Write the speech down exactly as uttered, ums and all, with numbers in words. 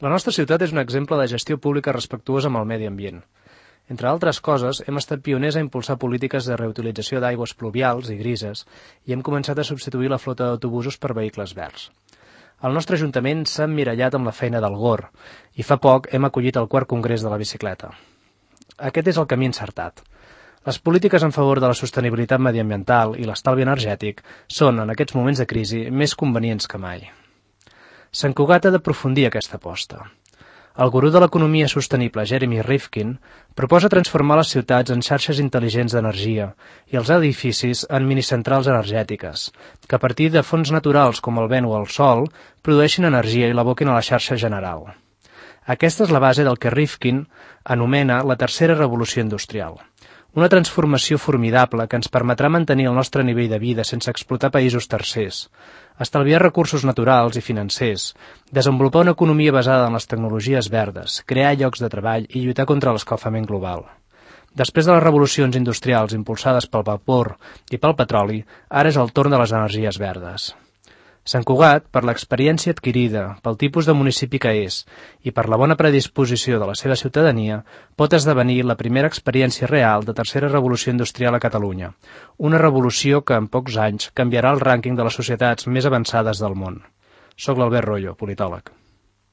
La nostra ciutat és un exemple de gestió pública respectuosa amb el medi ambient. Entre altres coses, hem estat pioners a impulsar polítiques de reutilització d'aigües pluvials i grises i hem començat a substituir la flota d'autobusos per vehicles verds. El nostre Ajuntament s'ha emmirallat amb la feina del G O R i fa poc hem acollit el quart congrés de la bicicleta. Aquest és el camí encertat. Les polítiques en favor de la sostenibilitat mediambiental i l'estalvi energètic són, en aquests moments de crisi, més convenients que mai. Sant Cugat ha d'aprofundir aquesta aposta. El gurú de l'economia sostenible, Jeremy Rifkin, proposa transformar les ciutats en xarxes intel·ligents d'energia i els edificis en minicentrals energètiques, que a partir de fonts naturals com el vent o el sol produeixin energia i l'aboquin a la xarxa general. Aquesta és la base del que Rifkin anomena la tercera revolució industrial. Una transformació formidable que ens permetrà mantenir el nostre nivell de vida sense explotar països tercers, estalviar recursos naturals i financers, desenvolupar una economia basada en les tecnologies verdes, crear llocs de treball i lluitar contra l'escalfament global. Després de les revolucions industrials impulsades pel vapor i pel petroli, ara és el torn de les energies verdes. Sant Cugat, per l'experiència adquirida, pel tipus de municipi que és i per la bona predisposició de la seva ciutadania, pot esdevenir la primera experiència real de tercera revolució industrial a Catalunya, una revolució que en pocs anys canviarà el rànquing de les societats més avançades del món. Soc l'Albert Royo, politòleg.